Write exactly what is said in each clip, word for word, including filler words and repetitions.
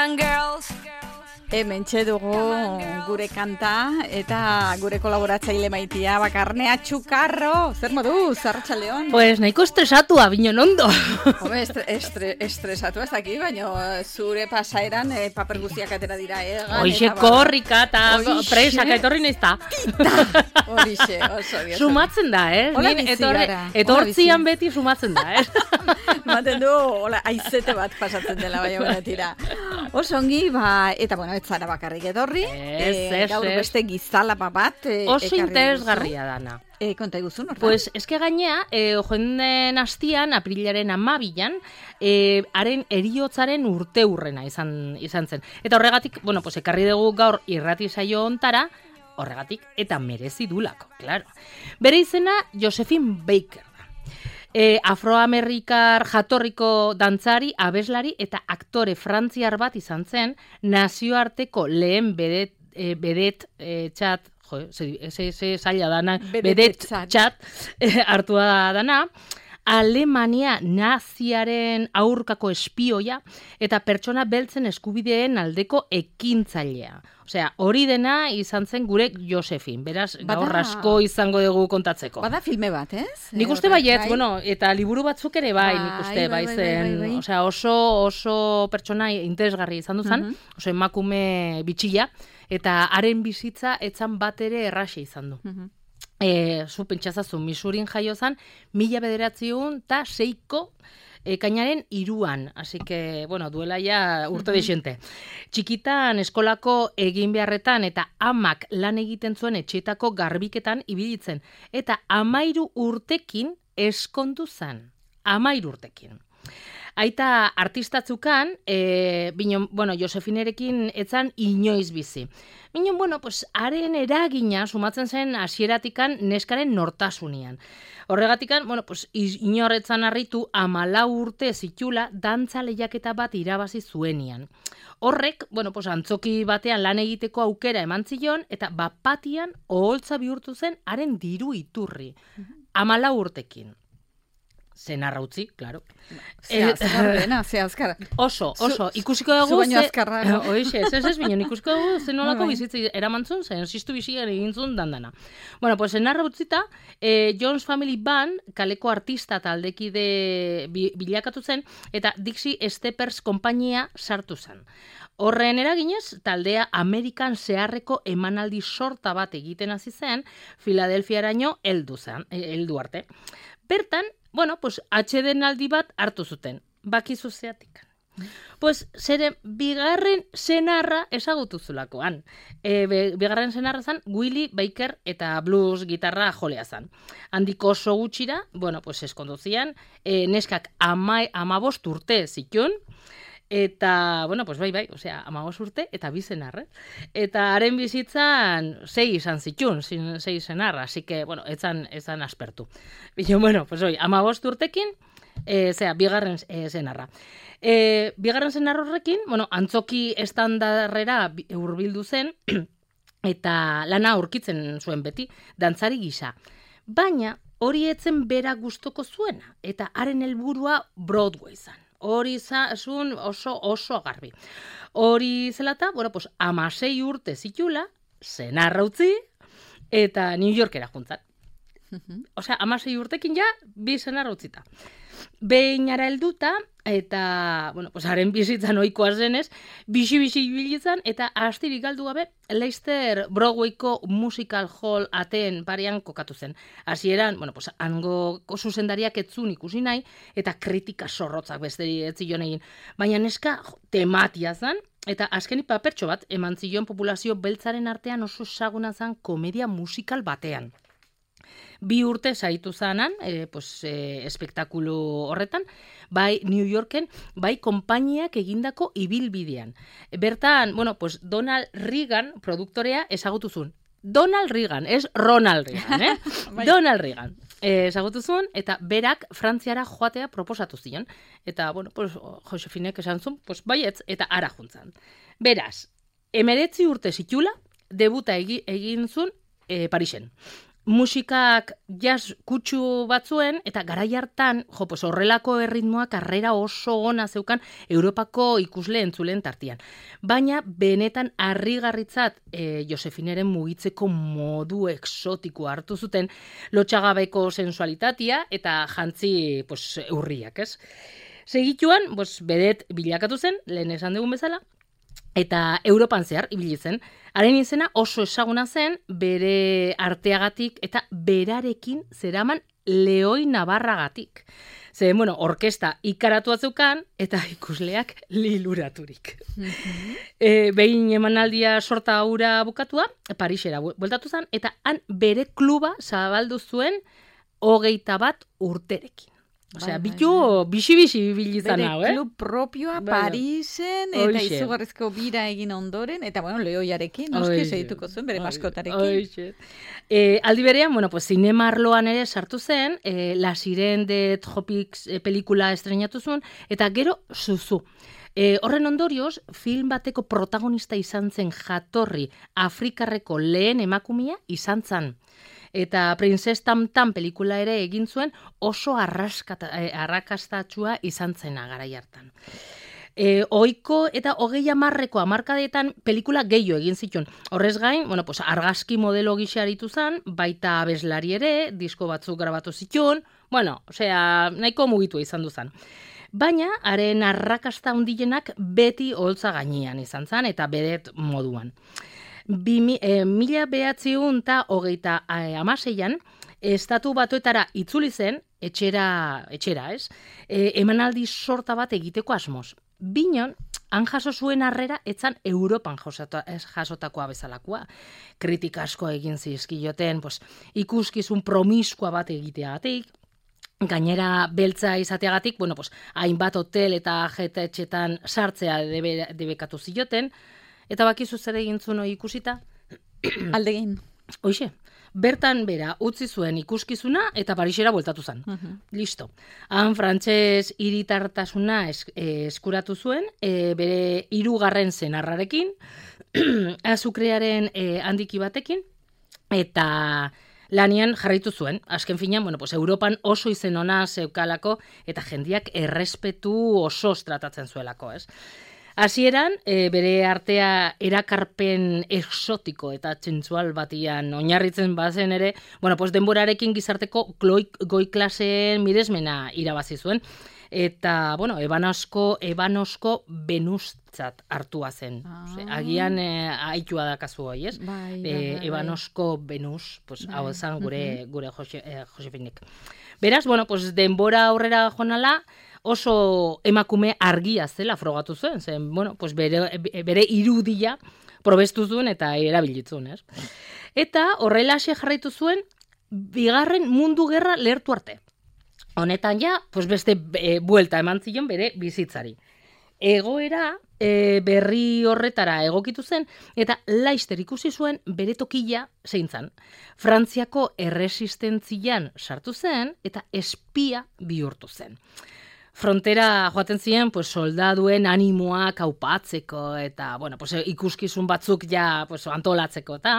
on, girls. Hementxe dugu gure kanta eta gure kolaboratzaile maitia Bakarnea Txukarro. Zer moduz, Arratsaldeon? Pues nahiko estresatua, binen ondo. Home, estre, estre, estresatu ez daki, baina zure pasaeran eh, paper guztiak atera dira egan. Hoxe korrika eta presaka etorri nahiz da. Horixe, oso diosa. Sumatzen da, eh? Hola bizi gara. Etortzian beti sumatzen da, eh? Maten du, hola, aizete bat pasatzen dela, baina bera tira. Oso ongi, ba, eta bueno, ez zara bakarrik etorri. Ez, e, ez, gaur ez. beste gizalapa bat. E, Oso interesgarria dana. E, konta iguzun, orta? Pues, eske gainea, e, joenden hastian, aprilaren amabilan, e, haren eriotzaren urte hurrena izan, izan zen. Eta horregatik, bueno, pues, ekarri dugu gaur irrati saio ontara, horregatik, eta merezi dulako, claro. Bere izena, Josephine Baker. E, afroamerikar jatorriko dantzari, abeslari eta aktore frantziar bat izan zen, nazioarteko lehen bedet, e, bedet e, txat, jo, ze, ze, ze zaila dana, bedet txat e, hartua dana, Alemania naziaren aurkako espioia eta pertsona beltzen eskubideen aldeko ekintzailea. Osea, hori dena izan zen gure Josephine. Beraz, Bada, gaur asko izango dugu kontatzeko. Bada filme bat, ez? Nik uste baiet, bueno, eta liburu batzuk ere bai, nik uste bai, bai zen. Bai, bai, bai. Osea, oso, oso pertsona interesgarri izan duzan, uh-huh. Oso emakume bitxila, eta haren bizitza etzan bat ere erraxe izan du. Uh-huh. E, zu pentsazazu, Misurin jaio zan, mila bederatziun eta seiko ekainaren iruan, así que, bueno, duela ja urte uh-huh. dexente. Txikitan eskolako egin beharretan eta amak lan egiten zuen etxetako garbiketan ibilitzen, eta amairu urtekin eskondu zan, amairu urtekin. Aita artistatzukan, e, binon, bueno, Josefinerekin etzan inoiz bizi. Binon, bueno, pues, haren eragina sumatzen zen hasieratikan neskaren nortasunian. Horregatikan, bueno, pues, inorretzan harritu amalau urte zitula dantza lehiaketa bat irabazi zuenian. Horrek, bueno, pues, antzoki batean lan egiteko aukera eman zion, eta bapatian oholtza bihurtu zen haren diru iturri. Amalau urtekin. Zenarra utzi, claro. Zea azkarrena, zea azkarra. Oso, oso. Ikusiko dugu... Zu baino azkarra. Oixe, ez ez ez binen, ikusiko dugu zen nolako bizitza eramantzun, zen ziztu bizian egintzun dandana. Bueno, pues zenarra utzita, eh, Jones Family Band, kaleko artista taldekide bilakatu zen, eta Dixie Steppers konpainia sartu zen. Horren eraginez, taldea Amerikan zeharreko emanaldi sorta bat egiten hasi zen, Filadelfiaraino heldu zen, heldu arte. Bertan, bueno, pues, atsedenaldi bat hartu zuten, bakizu zeatik. Pues, zeren, bigarren senarra ezagutu zulakoan. E, bigarren senarra zan, Willie Baker eta blues gitarra jolea zan. Handiko oso gutxira, bueno, pues, eskonduzian, e, neskak ama, amabost urte zitun, eta, bueno, pues bai, bai, osea, amabos urte, eta bi senarre. Eta haren bizitzan, sei izan zitun, sei senarra, así que, bueno, etzan, etzan aspertu. Bino, bueno, pues oi, amabos urtekin, e, zera, bigarren e, senarra. E, bigarren senarra horrekin, bueno, antzoki estandarrera hurbildu zen, eta lana aurkitzen zuen beti, dantzari gisa. Baina, hori etzen bera gustoko zuena, eta haren helburua Broadway zan. Hori zazun oso oso garbi. Hori zelata, bueno, pues, amasei urte zitula, senarra utzi, eta New Yorkera juntzan. Osea, amasei urtekin ja, bi senarra utzita. Behinara helduta, eta, bueno, pues, haren bizitzan ohikoa zenez, bixi-bixi bilitzan, eta astirik galdu gabe, Leicester Broadwayko Musical Hall ateen parean kokatu zen. Hasieran, bueno, pues, hango zuzendariak etzun ikusi nahi, eta kritika zorrotzak besteri etzion egin. Baina neska tematia zen, eta azkenik papertxo bat, eman zion populazio beltzaren artean oso ezaguna zen komedia musikal batean. Bi urte zaitu zanan, e, pues, e, espektakulu horretan, bai New Yorken, bai konpainiak egindako ibilbidean. Bertan, bueno, pues Donald Reagan produktorea ezagutuzun. Donald Reagan, ez Ronald Reagan, eh? Donald Reagan. E, ezagutuzun, eta berak Frantziara joatea proposatu zion. Eta, bueno, pues, Josefinek esan zuen, pues, baietz, eta ara juntzan. Beraz, emeretzi urte zitula, debuta egi, egin zuen e, Parisen. musikak jazz kutsu batzuen, eta garai hartan, jo, pues horrelako erritmoak arrera oso ona zeukan Europako ikusle entzulen tartian. Baina, benetan harrigarritzat e, Josefineren mugitzeko modu exotiko hartu zuten, lotxagabeko sensualitatea eta jantzi pues, urriak, ez? Segituan, pues, bedet bilakatu zen, lehen esan dugun bezala, eta Europan zehar ibili zen. Haren izena oso ezaguna zen bere arteagatik eta berarekin zeraman lehoi nabarragatik. Ze, bueno, orkesta ikaratua zeukan eta ikusleak liluraturik. Mm-hmm. E, behin emanaldia sorta hura bukatua, Parisera bueltatu zen, eta han bere kluba zabaldu zuen hogeita bat urterekin. Osea, bai, bitu bixi-bixi bilizan hau, eh? Bere klub propioa Parisen, eta Oixe. Izugarrizko bira egin ondoren, eta, bueno, lehoiarekin, noski segituko zuen, bere maskotarekin. Oixe. E, aldi berean, bueno, pues, zinema arloan ere sartu zen, e, La Siren de Tropics e, pelikula estrenatu zuen, eta gero Zuzu. E, horren ondorioz, film bateko protagonista izan zen jatorri Afrikarreko lehen emakumea izan zen. Eta Princess Tam Tam pelikula ere egin zuen oso arrakastatxua izan zena garai hartan. E, oiko eta hogei hamarreko hamarkadetan pelikula gehiago egin zituen. Horrez gain, bueno, pues, argazki modelo gisa aritu zen, baita abeslari ere, disko batzuk grabatu zituen, bueno, osea, nahiko mugitu izan duzan. Baina, haren arrakasta handienak beti holtza gainean izan zen, eta bedet moduan. Bi, e, mila behatziun eta hogeita e, amaseian, estatu batuetara itzuli zen, etxera, etxera ez, e, emanaldi sorta bat egiteko asmoz. Binon, han jaso zuen harrera, etzan Europan jasota, jasotakoa bezalakoa. Kritika asko egin zizkioten, pues, ikuskizun promiskua bat egiteagatik, gainera beltza izateagatik, bueno, pues, hainbat hotel eta jetetxetan sartzea debe, debekatu zioten, eta bakizu zer egin zuen ikusita? Aldegin. Hoixe, bertan bera utzi zuen ikuskizuna eta Parisera bueltatu zen. Uh-huh. Listo. Han frantses hiritartasuna es, eh, eskuratu zuen, eh, bere hirugarren senarrarekin, azukrearen eh, handiki batekin, eta lanian jarraitu zuen. Azken finean, bueno, pues, Europan oso izen ona zeukalako eta jendiak errespetu osoz tratatzen zuelako, ez? Hasieran, e, bere artea erakarpen exotiko eta txentzual batian oinarritzen bazen ere, bueno, pues denborarekin gizarteko goi, goi klaseen miresmena irabazi zuen. Eta, bueno, ebanosko, ebanosko benustzat hartua zen. Ah. Ose, agian e, aitua dakazu hoi, ez? Bai, bai, e, bai, ebanosko benus, pues, bai. Hau zan gure, uh-huh. gure Jose, eh, Josefinek. Beraz, bueno, pues, denbora aurrera jonala, oso emakume argia zela frogatu zuen, zen, bueno, pues bere, bere irudia probestu zuen eta erabilitzun, ez? Eta horrela jarraitu zuen, bigarren mundu gerra lehertu arte. Honetan ja, pues beste e, buelta eman zion bere bizitzari. Egoera e, berri horretara egokitu zen, eta laister ikusi zuen bere tokila zein zan. Frantziako erresistentzian sartu zen, eta espia bihurtu zen. Frontera joaten ziren, pues, soldaduen animoak aupatzeko eta, bueno, pues, ikuskizun batzuk ja, pues, antolatzeko eta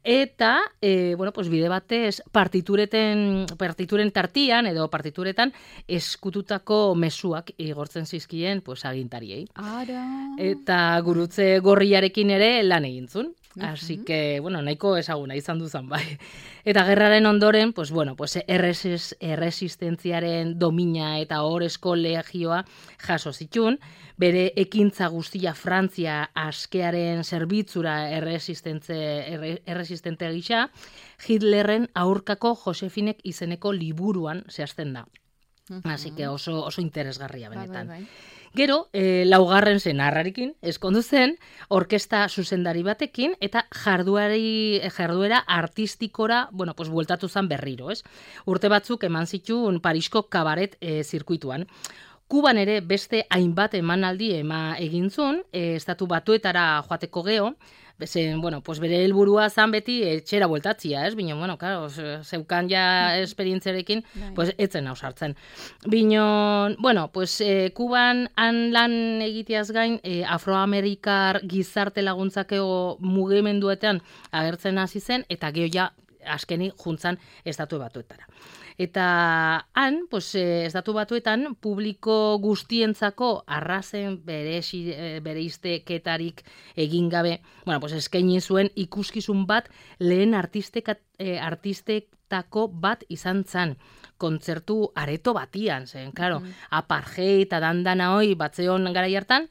eta, e, bueno, pues, bide batez partitureten, partituren tartian edo partituretan eskututako mezuak igortzen zizkien, pues, agintariei. Ara. Eta gurutze gorriarekin ere lan egintzun. Así que, bueno, nahiko ezaguna izan duzan, bai. Eta gerraren ondoren, pues, bueno, pues, erresis, erresistentziaren domina eta horrezko legioa jaso zitun, bere ekintza guztia Frantzia askearen zerbitzura erresistentze, erre, erresistente gisa, Hitlerren aurkako Josefinek izeneko liburuan zehazten da. Uh-huh. Así que oso, oso interesgarria benetan. Bai, bai, bai. Gero, e, laugarren senarrarekin, eskondu zen, orkesta zuzendari batekin, eta jarduari, jarduera artistikora, bueno, pues, bueltatu zen berriro, ez? Urte batzuk eman zituen Parisko kabaret e, zirkuituan. Kuban ere beste hainbat emanaldi ema egintzun, e, estatu batuetara joateko geho, Bezen, bueno, pues bere helburua zan beti etxera bueltatzia, ez? Bino, bueno, claro, zeukan ja esperientziarekin, pues etzen hau sartzen. Bino, bueno, pues eh, Kuban han lan egiteaz gain, eh, afroamerikar gizarte laguntzakeo mugimenduetan agertzen hasi zen, eta geho ja askeni juntzan estatu batuetara. Eta han, pues, estatu batuetan, publiko guztientzako arrazen bereizteketarik egin gabe, bueno, pues, eskaini zuen ikuskizun bat lehen artistek, eh, artistetako bat izan zan. Kontzertu areto batian, zen, claro, mm. apartheid eta dandana hoi batzeon garai hartan,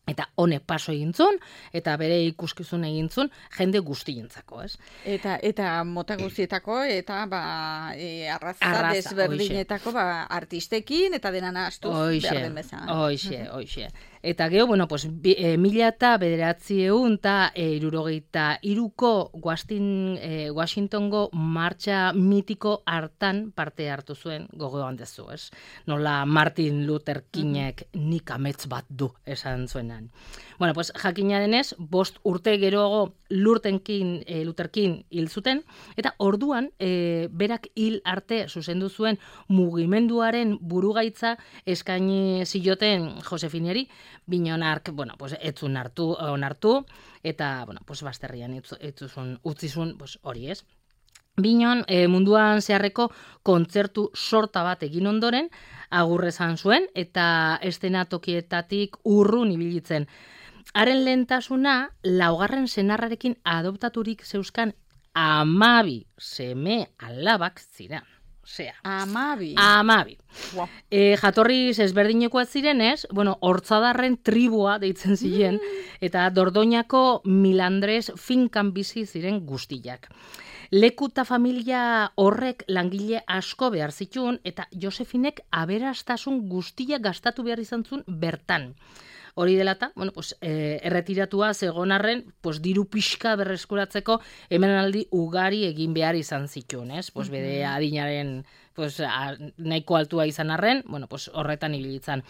eta honek paso egintzun, eta bere ikuskizun egintzun, jende guztientzako, ez? Eta eta mota guztietako, eta ba, e, arraza, arraza desberdinetako ba, artistekin, eta denan astu behar den bezan. Hoixe, hoixe. Eta geho, bueno, pues, bi, e, mila eta bederatziehun eta e, irurogeita iruko Washington, e, Washingtongo martxa mitiko hartan parte hartu zuen gogoan dezu, ez? Nola Martin Luther Kingek nik amets bat du esan zuenan. Bueno, pues, jakina denez, bost urte geroago Lurtenkin, e, Luther King hil zuten, eta orduan e, berak hil arte zuzendu zuen mugimenduaren burugaitza eskaini zioten Josefiniari, Binonark, bueno, pues, etzun hartu, onartu, eta, bueno, pues, basterrian etzuzun, utzizun, pues, hori ez. Binon, e, munduan zeharreko kontzertu sorta bat egin ondoren, agurrezan zuen, eta estenatokietatik urrun ibilitzen. Haren lehentasuna, laugarren senarrarekin adoptaturik zeuzkan amabi seme alabak zira. Osea, amabi. Amabi. Wow. E, jatorriz ezberdinekoak zirenez, bueno, hortzadarren tribua deitzen ziren, mm. eta Dordoñako Milandres finkan bizi ziren guztiak. Leku eta familia horrek langile asko behar zituen, eta Josefinek aberastasun guztiak gastatu behar izan zuen bertan. Hori delata, bueno, pues, eh, erretiratua zegonarren, pues, diru pixka berreskuratzeko hemenaldi ugari egin behar izan zituen, ez? Pues, bere adinaren pues, a, nahiko altua izan arren, bueno, pues, horretan ibilitzan.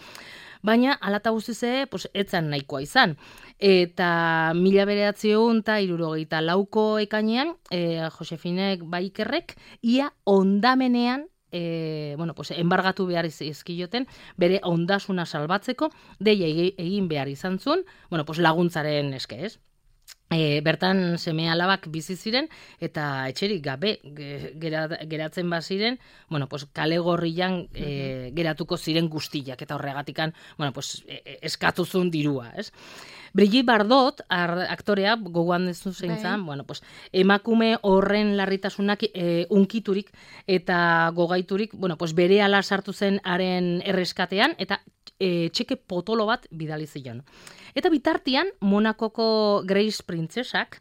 Baina, alata guztize, pues, etzan nahikoa izan. Eta mila bederatziehun eta hirurogeita lauko ekainean, eh, Josefinek Baikerrek, ia ondamenean, E, bueno, pues, enbargatu behar izkioten, bere ondasuna salbatzeko, deia egin behar izan zuen, bueno, pues, laguntzaren eske, ez? E, bertan seme alabak bizi ziren, eta etxerik gabe geratzen baziren, bueno, pues, kale gorrian e, geratuko ziren guztiak, eta horregatikan, bueno, pues, e, eskatuzun dirua, ez? Brigitte Bardot, aktorea, gogoan dezu zein zan, bueno, pues, emakume horren larritasunak e, unkiturik eta gogaiturik, bueno, pues, bere ala sartu zen haren erreskatean, eta e, txeke potolo bat bidali zion. Eta bitartian, Monakoko Grace Princesak,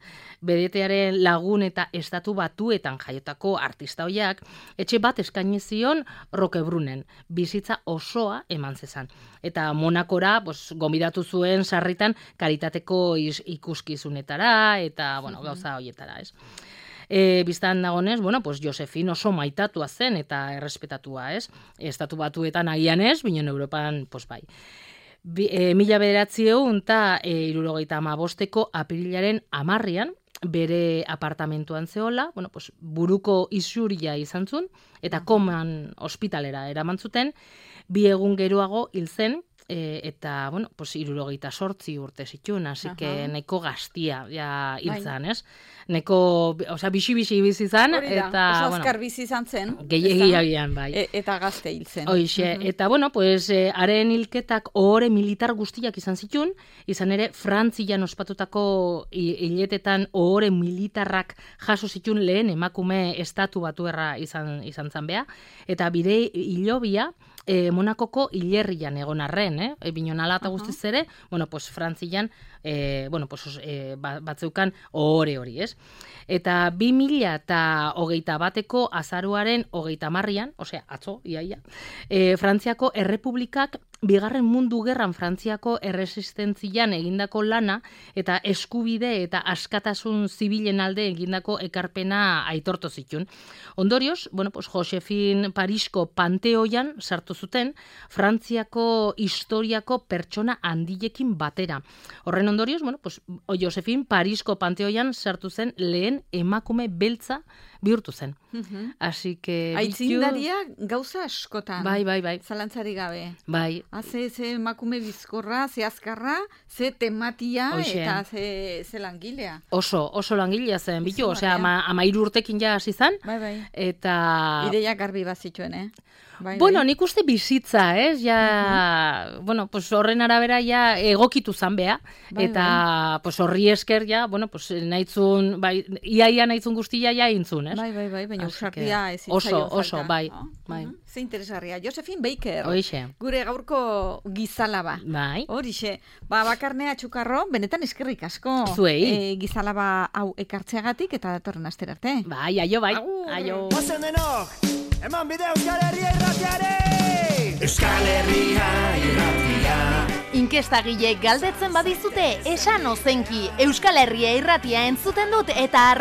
bedetearen lagun eta estatu batuetan jaiotako artista hoiak, etxe bat eskaini zion Roquebrunen, bizitza osoa eman zezan. Eta Monakora, pues, gomidatu zuen sarritan karitateko ikuskizunetara, eta, bueno, gauza hoietara, ez? E, biztan dagonez, bueno, pues, Josefin oso maitatua zen eta errespetatua, ez? Estatu batuetan agian ez, binen Europan, pues, bai. Bi, e, mila bederatziehun eta hirurogeita hamabosteko apirilaren hamarrian, bere apartamentuan zehola, bueno, pues, buruko isuria izan zuen, eta koman ospitalera eraman zuten, bi egun geroago hil zen, e, eta, bueno, pues, hirurogeita sortzi urte zituen, hasi que neko gaztia ja hiltzan, ez? Neko, osea, bixi-bixi bizi zan, eta, oso bueno, azkar bizi izan zen. Gehiagian, bai. E, eta gazte hil zen. Hoixe, uh-huh. Eta, bueno, pues, eh, haren hilketak ohore militar guztiak izan zituen, izan ere, Frantzian ospatutako hiletetan ohore militarrak jaso zituen lehen emakume estatu batuerra izan, izan zan beha, eta bide hilobia, E, Monakoko hilerrian egon arren, eh? E, Binonala eta guztiz ere, bueno, pues, Frantzian, e, bueno, pues, e, batzeukan ohore hori, ez? Eta bi mila eta hogeita bateko azaruaren hogeita marrian, osea, atzo, iaia, e, Frantziako Errepublikak Bigarren Mundu Gerran Frantziako erresistentzian egindako lana eta eskubide eta askatasun zibilen alde egindako ekarpena aitortu zituen. Ondorioz, bueno, pues, Josefin Parisko Panteoian sartu zuten Frantziako historiako pertsona handilekin batera. Horren ondorioz, bueno, pues, Josefin Parisko Panteoian sartu zen lehen emakume beltza bihurtu zen. Así que... Aitzindaria gauza askotan. Bai, bai, bai. Zalantzari gabe. Bai. Haze, ze emakume bizkorra, ze azkarra, ze tematia Hoxe. eta ze, ze langilea. Oso, oso langilea zen, bitu, Izugarria. osea, ama, amairu urtekin ja hasi zen, Bai, bai. eta... Ideia garbi bazituen, eh? Bai, Bueno, bai. nik uste bizitza, ez? Ja, bueno, pues horren arabera ja egokitu zan bea, Bai, eta pues horri esker ja, bueno, pues nahitzun, bai, iaia nahitzun guztia ja intzun, ez? Bai, bai, bai, baina Así usardia que ez oso, zitzaion oso, falta, bai, no? bai. Mhm. Ze interesgarria. Josephine Baker. Hoixe. Gure gaurko gizalaba. Bai. Horixe. Ba, bakarnea txukarro, benetan eskerrik asko. Zuei. E, gizalaba hau ekartzeagatik eta datorren astera arte. Bai, aio, bai. Agur. Aio. Ozen denok, eman bide Euskal Herria irratiare! Euskal Herria irratia. Inkestagileek galdetzen badizute, esan ozenki Euskal Herria irratia entzuten dut eta